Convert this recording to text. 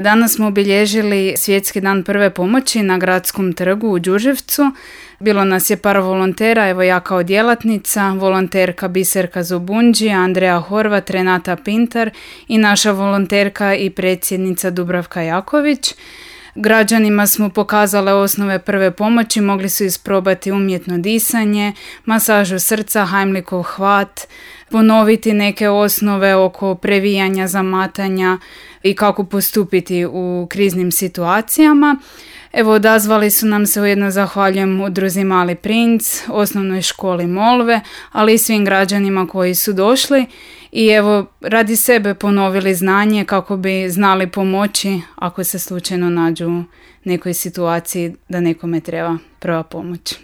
Danas smo obilježili Svjetski dan prve pomoći na Gradskom trgu u Đurđevcu. Bilo nas je par volontera, evo ja kao djelatnica, volonterka Biserka Zobunđi, Andreja Horvat, Renata Pintar i naša volonterka i predsjednica Dubravka Jaković. Građanima smo pokazale osnove prve pomoći, mogli su isprobati umjetno disanje, masažu srca, Heimlichov hvat, ponoviti neke osnove oko previjanja, zamatanja i kako postupiti u kriznim situacijama. Evo, odazvali su nam se, ujedno zahvaljujem udruzi Mali princ, osnovnoj školi Molve, ali i svim građanima koji su došli i evo radi sebe ponovili znanje kako bi znali pomoći ako se slučajno nađu u nekoj situaciji da nekome treba prva pomoć.